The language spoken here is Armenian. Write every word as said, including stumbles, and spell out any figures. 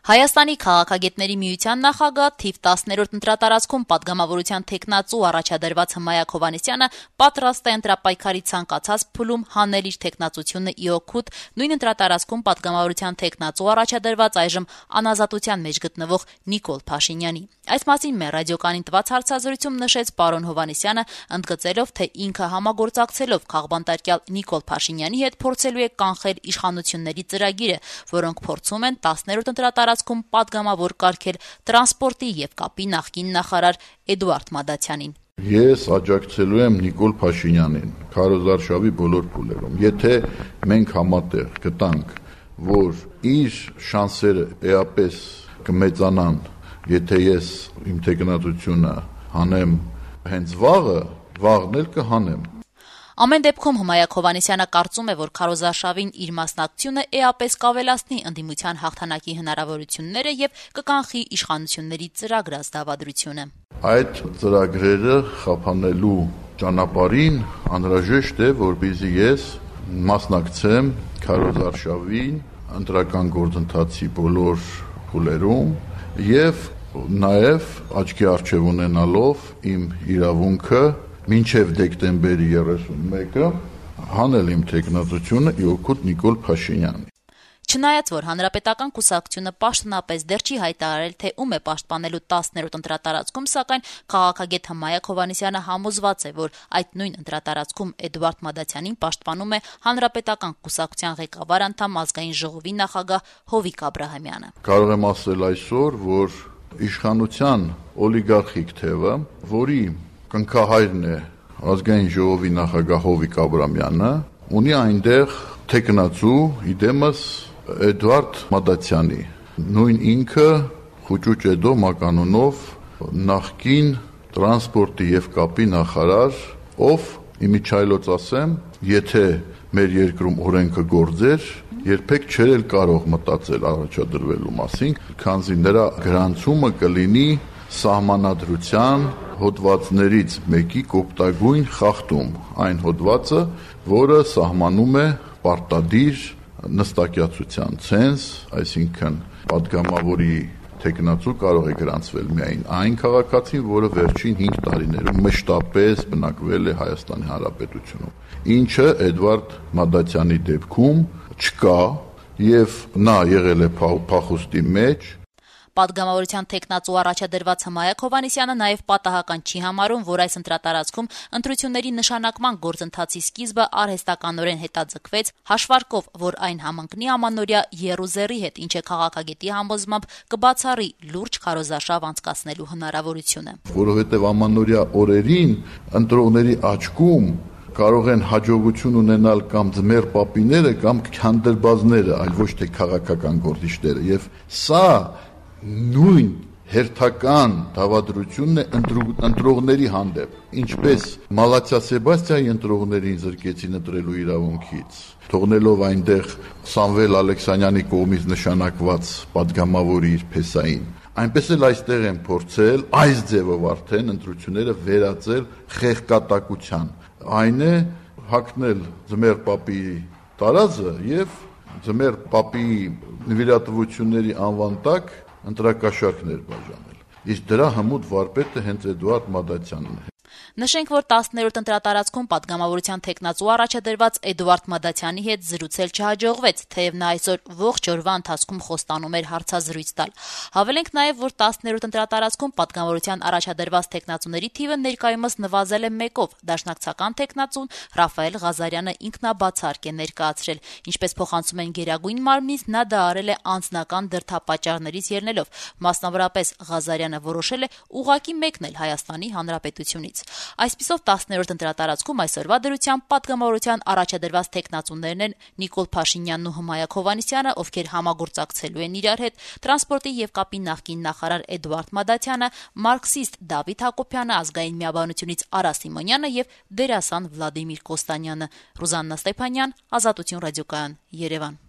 Հայաստանի քաղաքագետների միության նախագահ թիվ տասներորդ ընտրատարածքում պատգամավորության թեկնածու առաջադրված Հմայակ Հովհաննիսյանը պատրաստ է ընտրապայքարի ցանկացած փուլում հանել իր թեկնածությունը ի օգուտ նույն ընտրատարածքում պատգամավորության թեկնածու առաջադրված այժմ անազատության մեջ գտնվող Նիկոլ Փաշինյանի։ Այս մասին մեր ռադիոկանին տված հարցազրույցում նշեց պարոն Հովհաննիսյանը, ընդգծելով, թե ինքը համագործակցելով քաղբանտարկյալ Նիկոլ Փաշինյանի հետ փորձելու է կանխել իշխանությունների ծրագիրը, որոնք փորձում են տասներորդ ընտրատարածքում պատգամավոր կարգել տրանսպորտի եւ կապի նախկին նախարար Էդուարդ Մադացյանին։ Ես աջակցելու եմ Նիկոլ Փաշինյանին քարոզարշավի բոլոր փուլերում։ Եթե մենք համատեղ գտանք, որ իր շանսերը էապես կմեծանան, եթե ես իմ թեկնածությունը հանեմ հենց վաղը, վաղն էլ կհանեմ։ Ամեն դեպքում Հմայակ Հովհաննիսյանը կարծում է, որ քարոզարշավին իր մասնակցությունը էապես կավելացնի ընդդիմության հաղթանակի հնարավորությունները եւ կկանխի իշխանությունների ծրագրած դավադրությունը։ Այդ ծրագրերը խափանելու ճանապարհին անհրաժեշտ է, որպեսզի ես մասնակցեմ քարոզարշավին ընտրական գործընթացի բոլոր փուլերում եւ նաեւ աչքի առջև ունենալով իմ իրավունքը մինչև դեկտեմբերի երեսունմեկը հանել իմ թեկնածությունը ի օգուտ Նիկոլ Փաշինյանի։ Չնայած որ հանրապետական կուսակցությունը պաշտոնապես դեռ չի հայտարարել, թե ում է պաշտպանելու տասներորդ ընտրատարածքում, սակայն քաղաքագետ Հմայակ Հովհաննիսյանը համոզված է, որ այդ նույն ընտրատարածքում Էդուարդ Մադացյանին պաշտպանում է հանրապետական կուսակցության ղեկավար անդամ ազգային ժողովի նախագահ Հովիկ Աբրահամյանը։ Կարող եմ ասել այսօր, որ իշխանության օլիգարխիկ թևը, որի կնքահայրն է ազգային ժողովի նախագահ Հովիկ Աբրահամյանը, ունի այնտեղ թեկնածու իդեմս Էդուարդ Մադացյանի, նույն ինքը Խուճուճեդո մականունով նախկին տրանսպորտի եւ կապի նախարար, ով իմիջայլոց ասեմ, եթե մեր երկրում օրենքը գործեր, երբեք չէր էլ կարող մտածել առաջադրվելու մասին, քանզի նրա գրանցումը կլինի սահմանադրության հոդվածներից մեկի կոպտագույն խախտում, այն հոդվածը, որը սահմանում է պարտադիր նստակյացության ցենզ, այսինքն պատգամավորի թեկնածու կարող է գրանցվել միայն այն քաղաքացին, որը վերջին հինգ տարիներում մշտապես բնակվել է Հայաստանի Հանրապետությունում, ինչը Էդուարդ Մադացյանի դեպքում չկա եւ նա եղել է փախուստի մեջ։ Պատգամավորության թեկնածու առաջադրված Հմայակ Հովհաննիսյանը նաև պատահական չի համարում, որ այս ընտրատարածքում ընտրությունների նշանակման գործընթացի սկիզբը արհեստականորեն հետաձգվեց, հաշվարկով, որ այն համընկնի ամանորյա եռուզեռի հետ, ինչը քաղաքագետի համոզմամբ կբացառի լուրջ քարոզարշավ անցկացնելու հնարավորությունը։ Որովհետև ամանորյա օրերին ընտրողների աչքում կարող են հաջողություն ունենալ կամ ձմեռ պապիները կամ քանդերբազները, այլ ոչ թե քաղաքական գործիչները, եւ սա նույն հերթական դավադրությունն է ընտրողների հանդեպ, ինչպես Մալաթիա Սեբաստիայի ընտրողներին զրկեցին ընտրելու իրավունքից, թողնելով այնտեղ Սամվել Ալեքսանյանի կողմից նշանակված պատգամավորի իր փեսային, այնպես էլ այստեղ են փորձել այս ձևով արդեն ընտրությունները վերածել խեղկատակության, այն է հագնել ձմեռ պապի տարազը եւ ձմեռ պապի նվիրատվությունների անվան տակ ընտրակաշառքներ բաժանել, իսկ դրա հմուտ վարպետը հենց Էդուարդ Մադացյանն է։ Նշենք, որ տասներորդ ընտրատարածքում պատգամավորության թեկնածու առաջադրված Էդուարդ Մադացյանի հետ զրուցել չհաջողվեց, թեև նա այսօր ողջ օրվա ընթացքում խոստանում էր հարցազրույց տալ։ Հավելենք նաև, որ տասներորդ ընտրատարածքում պատգամավորության առաջադրված թեկնածուների թիվը ներկայումս նվազել է մեկով, դաշնակցական թեկնածուն Ռաֆայել Ղազարյանը ինքնաբացարկ է ներկայացրել, ինչպես փոխանցում են Գերագույն մարմնից, նա դա արել է անձնական դրդապատճառներից ելնելով, մասնավորապես Ղազարյանը որոշել է ուղղակի մեկնել Հայաստանի Հանրապետությունից։ Այսպիսով տասներորդ ընտրատարածքում այսօրվա դրությամբ պատգամավորության առաջադրված թեկնածուներն են Նիկոլ Փաշինյանն ու Հմայակ Հովհաննիսյանը, ովքեր համագործակցելու են իրար հետ, տրանսպորտի եւ կապի նախկին նախարար Էդուարդ Մադացյանը, մարքսիստ Դավիթ Հակոբյանը, ազգային միաբանությունից Արա Սիմոնյանը եւ դերասան Վլադիմիր Կոստանյանը։ Ռուզաննա Ստեփանյան, Ազատություն ռադիոկայան, Երևան։